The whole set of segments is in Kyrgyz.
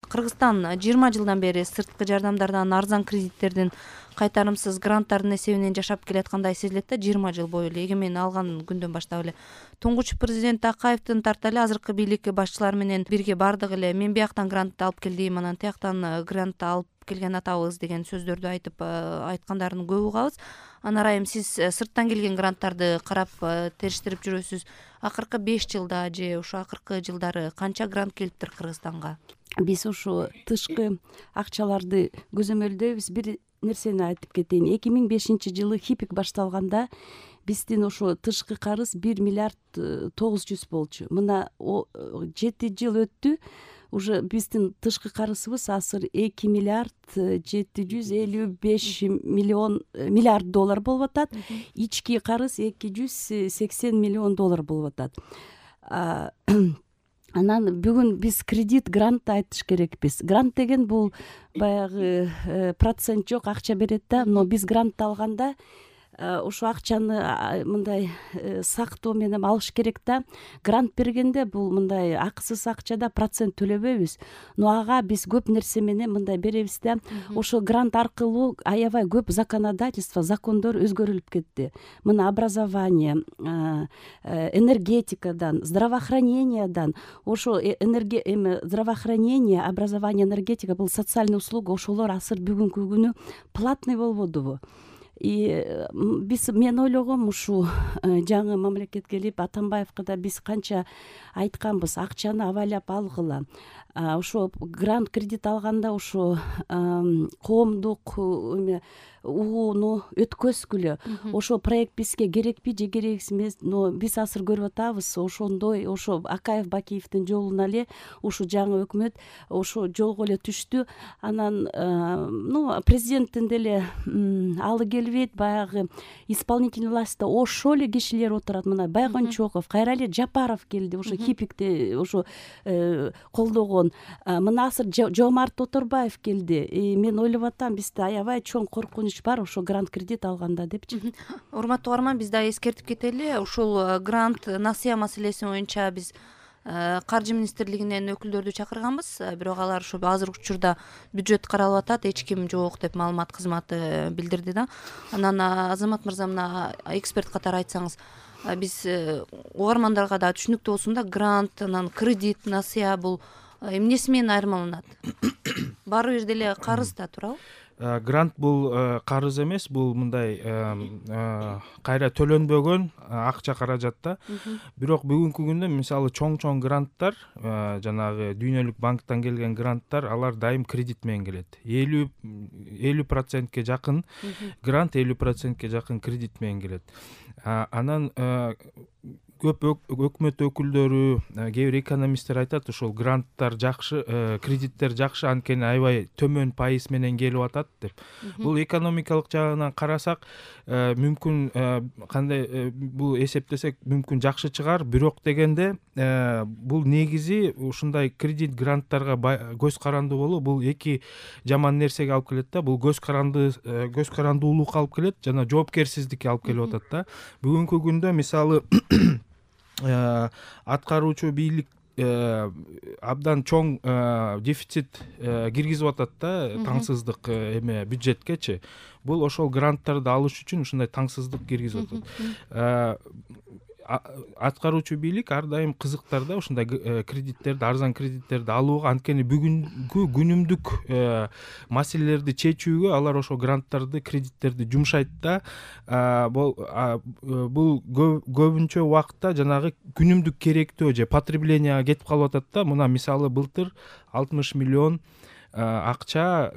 Кыргызстан 20 жылдан бери сырткы жардамдардан арзан кредиттердин кайтарымсыз гранттардын эсебинен жашап келаткандай сезилет да. 20 жыл бою эле эгемендик алган күндөн баштап эле туңгуч президент Акаевдин тарта эле азыркы бийлик башчылары менен бирге бардык эле мен бияктан грант алып келдим, анан тияктан грант алып келген атабыз деген сөздөрдү айткандарын көп угабыз. Анан Арайым, сиз сырттан келген гранттарды карап териштирип жүрөсүз. Акыркы 5 жылда же ушу акыркы жылдары канча грант келиптир Кыргызстанга? Биз ушу тышкы акчаларды көзөмөлдөйбүз. Бир нерсени айтып кетейин. 2005 жылы ХИПИК башталганда биздин ошо тышкы карыз 1 миллиард 900 болчу. Мына 7 жыл өттү. Уже биздин тышкы карызыбыз азыр 2 миллиард 755 миллиард доллар болуп атат. Ички карыз 280 миллион доллар болуп атат. Анан бүгүн биз кредит, грант айтыш керекпиз. Грант деген бул баягы процент жок акча берет да, но биз грант алганда ошо акчаны мындай сактоо менен алыш керек да. Грант бергенде бул мындай акысыз акчада процент төлөбөйбүз. Но ага биз көп нерсе менен мындай беребиз да. Ошо грант аркылуу аябай көп законодательство, закондор өзгөрүлүп кетти. Мына образование, энергетикадан, здравоохранениядан, ошо здравоохранение, образование, энергетика бул социальный услуга, ошолор азыр бүгүнкү күнү платный болбодубу? Мен ойлогом, ушу жаңы мамлекет келип Атамбаевга да биз канча айтканбыз, акчаны абайлап алгыла. Ошо грант кредит алганда ошо коомдук угууну өткөзгүлө. Ошо проект бизге керекпи же керексиз эмес, но биз азыр көрүп атабыз, ошондой ошо Акаев Бакиевдин жолуна эле ушу жаңы өкмөт ошо жолго эле түштү. Анан президенттин деле алы келбейт, баягы исполнительный властьта ошол эле кишилер отурат. Мына Байгончоков, кайра эле Жапаров келди, ошо ХИПИКти ошо колдогон. Мына азыр Жомарт Оторбаев келди. Мен ойлоп атам, бизде аябай чоң коркунуч бар ошо грант кредит алганда депчи. Урматтуу угарман, биз да эскертип кетели. Ушул грант насыя маселеси боюнча биз Каржы министрлигинен өкүлдөрдү чакырганбыз, бирок алар ушу азыркы учурда бюджет каралып атат, эч ким жок деп маалымат кызматы билдирди да. Анан Азамат мырза, мына эксперт катары айтсаңыз, биз угармандарга да түшүнүктүү болсун да, грант, анан кредит, насыя бул эмнеси менен айырмаланат? Баары бир деле карыз да, туурабы? Грант бул карыз эмес, бул мындай кайра төлөнбөгөн акча каражат да. Бирок бүгүнкү күндө мисалы чоң гранттар, жанагы Дүйнөлүк банктан келген гранттар, алар дайым кредит менен келет. 50% жакын грант, 50% жакын кредит менен келет. Анан көп өкмөт өкүлдөрү, кээ бир экономисттер айтат, ушул гранттар жакшы, кредиттер жакшы, анткени аябай төмөн пайыз менен келип атат деп. Бул экономикалык жагынан карасак, мүмкүн кандай бул эсептесек мүмкүн жакшы чыгар, бирок дегенде бул негизи ушундай кредит гранттарга көз карандуу болуу бул эки жаман нерсеге алып келет да. Бул көз карандуулукка алып келет жана жоопкерсиздикке алып келип атат да. Бүгүнкү күндө мисалы аткаруучу бийлик абдан чоң дефицит киргизип атат да, таңсыздык бюджеткечи. Бул ошол гранттарды алыш үчүн ушундай таңсыздык киргизип атат. Аткаруучу бийлик ар дайым кызыктар да ушундай кредиттерди, арзан кредиттерди алууга, анткени бүгүнкү күнүмдүк маселелерди чечүүгө алар ошо гранттарды, кредиттерди жумшайт да. Бул көбүнчө убакытта жанагы күнүмдүк керектөө же потребленияга кетип калып атат да. Мына мисалы былтыр 60 миллион акча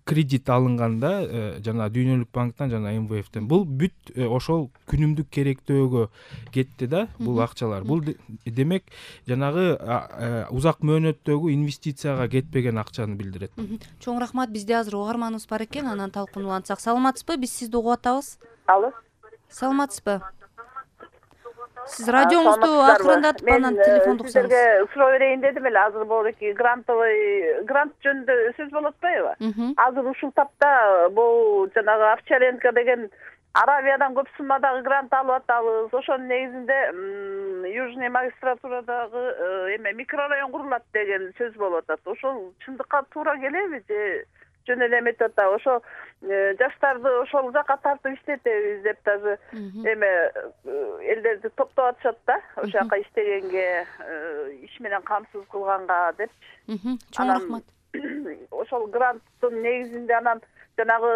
кредит алынганда жана Дүйнөлүк банктан жана МВФтен. Бул бүт ошол күнүмдүк керектөөгө кетти да бул акчалар. Бул демек жанагы узак мөөнөттөгү инвестицияга кетпеген акчаны билдирет. Чоң рахмат. Бизде азыр угарманыбыз бар экен, анан талкууну улантсак. Саламатсызбы? Биз сизди угуп атабыз. Алло. Саламатсызбы? Сиз радиоңузду акырындатып анан телефонду кусаңыз. Сизерге суроо берейин дедим эле, азыр болеки грант жөнүндө сөз болуп атпайбы? Азыр ушул тапта бул жанагы Овчаренко деген Аравиядан көп суммадагы грант алып атабыз. Ошонун негизинде Южный магистратурадагы эме микрорайон курулат деген сөз болуп атат. Ошол чындыкка туура келеби же жөн эле эметип атабы? Ошо жаштарды ошол жака тартып иштетебиз деп даже эме элдерди топтоп атышат да. Ошол жака иштегенге, иш менен камсыз кылганга депчи. Чоң рахмат. Ошол гранттын негизинде анан жанагы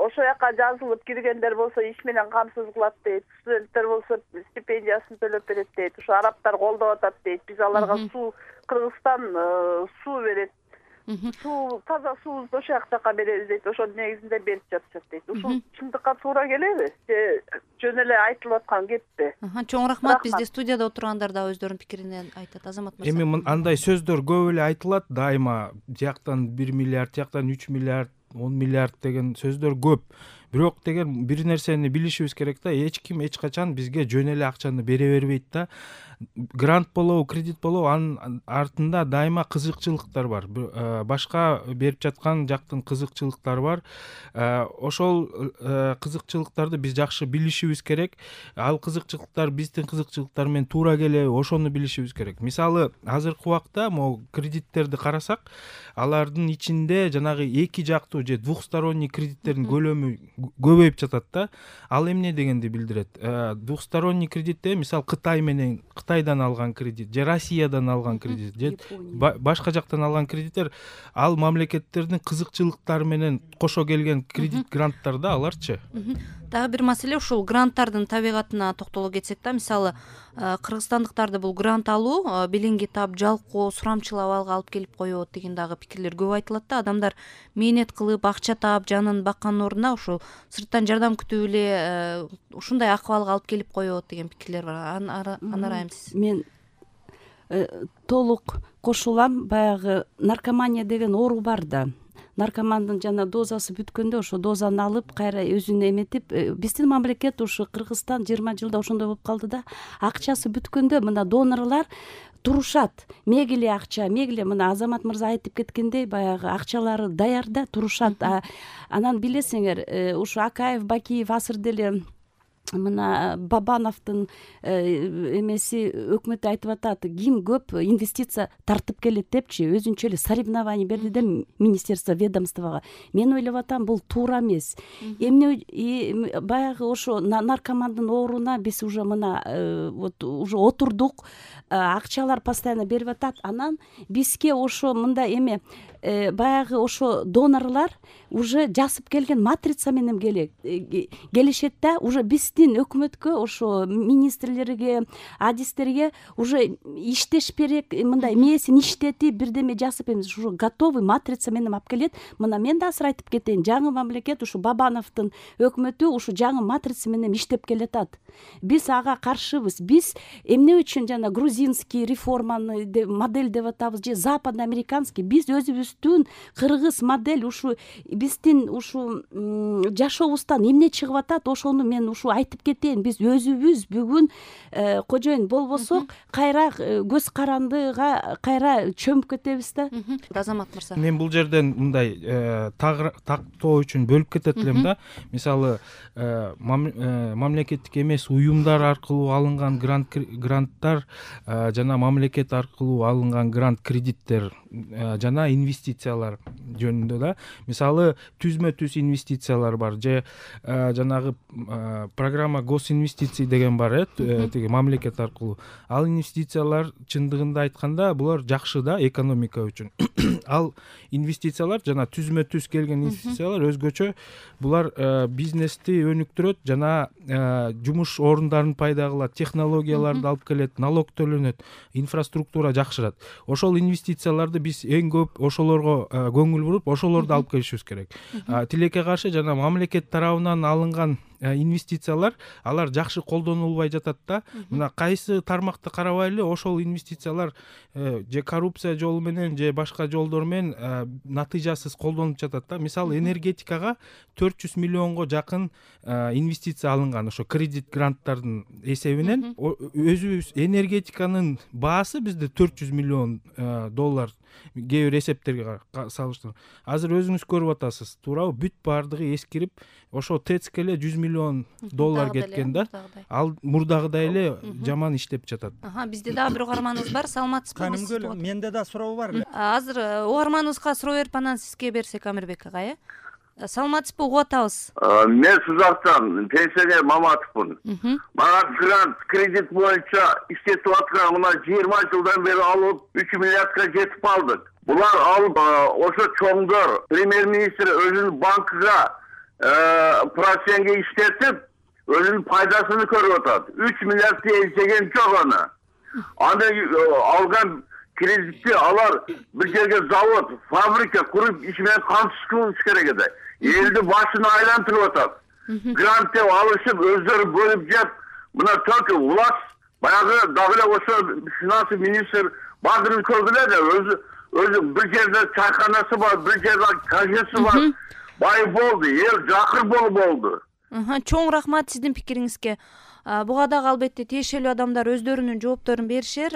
ошол жака жазылып киргендер болсо иш менен камсыз кылат дейт, студенттер болсо стипендиясын төлөп берет дейт, ошо арабтар колдоп атат дейт, биз аларга суу, Кыргызстан суу берет, суу, таза суубузду ошол жака беребиз дейт, ошонун негизинде берип жатышат дейт. Ушул чындыкка туура келеби же жөн эле айтылып аткан кеппи? Чоң рахмат. Бизде студияда отургандар да өздөрүнүн пикирин айтат. Азамат мырза. Эми андай сөздөр көп эле айтылат дайыма, тияктан 1 миллиард, тияктан 3 миллиард, 10 миллиард деген сөздөр көп. Бирок деген бир нерсени билишибиз керек да, эч ким эч качан бизге жөн эле акчаны бере бербейт да. Грант болобу, кредит болобу, анын артында дайыма кызыкчылыктар бар. Башка берип жаткан жактын кызыкчылыктары бар. Ошол кызыкчылыктарды биз жакшы билишибиз керек. Ал кызыкчылыктар биздин кызыкчылыктар менен туура келеби, ошону билишибиз керек. Мисалы, азыркы убакта могу кредиттерди карасак, алардын ичинде жанагы эки жактуу же двухсторонний кредиттердин көлөмү көбөйүп жатат да. Ал эмне дегенди билдирет? Двухсторонний кредитте мисалы Кытайдан алган кредит же Россиядан алган кредит же башка жактан алган кредиттер, ал мамлекеттердин кызыкчылыктары менен кошо келген кредит гранттар да, аларчы. Дагы бир маселе ушул гранттардын табигатына токтоло кетсек да, мисалы кыргызстандыктарды бул грант алуу белеңги таап, жалкоо, сурамчылап абалга алып келип коет деген дагы пикирлер көп айтылат да. Адамдар мээнет кылып, акча таап, жанын баккандын ордуна ушул сырттан жардам күтүп эле ушундай акыбалга алып келип коет деген пикирлер бар. Аны ырайымсыз. Мен толук кошулам. Баягы наркомания деген оору бар да. Наркомандын жана дозасы бүткөндө ошо дозаны алып кайра өзүн эметип, биздин мамлекет ушу Кыргызстан 20 жылда ошондой болуп калды да. Акчасы бүткөндө мына донорлар турушат. Мегиле акча, мегиле мына Азамат мырза айтып кеткендей, баягы акчалары даяр да турушат. Анан билесиңер, ушу Акаев, Бакиев азыр деле мына Бабановдун эмеси өкмөт айтып атат, ким көп инвестиция тартып келет депчи, өзүнчө эле соревнование берди да министерство, ведомствого. Мен ойлоп атам, бул туура эмес. Эмне баягы ошо наркомандын ооруна биз уже мына вот уже отурдук, акчалар постоянно берип атат. Анан бизге ошо мындай эме баягы ошо донорлар уже жасып келген матрица менен келишет да, уже биздин өкмөткө, ошо министрлерге, адистерге уже иштеш керек, мындай мээсин иштетип, бирдеме жасып эмес, ушу готовый матрица менен алып келет. Мына мен да азыр айтып кетейин, жаңы мамлекет ушу Бабановдун өкмөтү ушу жаңы матрица менен иштеп келатат. Биз ага каршыбыз. Биз эмне үчүн жана грузинский реформаны модель деп атабыз же западноамериканский, биз өзүбүздүн кыргыз модель, ушу биздин ушу жашообуздан эмне чыгып атат, ошону мен ушу айтып кетейин. Биз өзүбүз бүгүн кожоюн болбосок, кайра көз карандыга кайра чөмүп кетебиз да. Азамат мырза. Мен бул жерден мындай тактоо үчүн бөлүп кетет элем да. Мисалы, мамлекеттик эмес уюмдар аркылуу алынган гранттар жана мамлекет аркылуу алынган грант кредиттер жана инвестициялар жөнүндө да. Мисалы, түзмө-түз инвестициялар бар же жанагы программа госинвестиций деген бар, тиги мамлекет аркылуу. Ал инвестициялар чындыгында айтканда булар жакшы да экономика үчүн. Ал инвестициялар жана түзмө-түз келген инвестициялар өзгөчө, булар бизнести өнүктүрөт жана жумуш орундарын пайда кылат, технологияларды алып келет, налог төлөнөт, инфраструктура жакшырат. Ошол инвестицияларды биз эң көп ошолорго көңүл буруп, ошолорду алып келишибиз керек. Тилекке каршы жана мамлекет тарабынан алынган инвестициялар, алар жакшы колдонулбай жатат да. Мына кайсы тармакты карабайлы, ошол инвестициялар же коррупция жолу менен же башка жолдор менен натыйжасыз колдонуп жатат да. Мисалы, энергетикага 400 миллионго жакын инвестиция алынган ошо кредит гранттардын эсебинен. Өзүбүз энергетиканын баасы бизде 400 миллион доллар кээ бир эсептерге салыштырып. Азыр өзүңүз көрүп атасыз, туурабы? Бүт баардыгы эскирип, ошо тэцке эле 100 миллион доллар кеткен да. Ал мурдагыдай эле жаман иштеп жатат. Бизде дагы бир угарманыбыз бар. Саламатсызбы? Канымгүл, менде да суроо бар эле. Азыр угарманыбызга суроо берип анан сизге берсек, Амирбек ага, саламатсызбы, угуп атабыз. Мен Сузактан пенсионер Маматовмун. Мага грант кредит боюнча иштетип аткан мына 20 жылдан бери алып 3 миллиардка жетип калдык. Булар алып ошо чоңдор премьер-министр өзүнүн банкыга процентке иштетип, өзүнүн пайдасын көрүп атат. 3 миллиардты эсеген жок аны. Аны алган кредитти алар бир жерге завод, фабрика куруп иш менен камсыз керек эди. Элди башын айлантырып атат. Грант деп алышып, өздөрү бөлүп жеп, мына только власть баягы дагы эле ошо финанс министр баардыгын көргүлө да, өзү бир жерде чайканасы бар, бир жерде кашасы бар. Бай болду, эл жакыр болду. Чоң рахмат сиздин пикириңизге. Буга дагы албетте тиешелүү адамдар өздөрүнүн жоопторун беришер.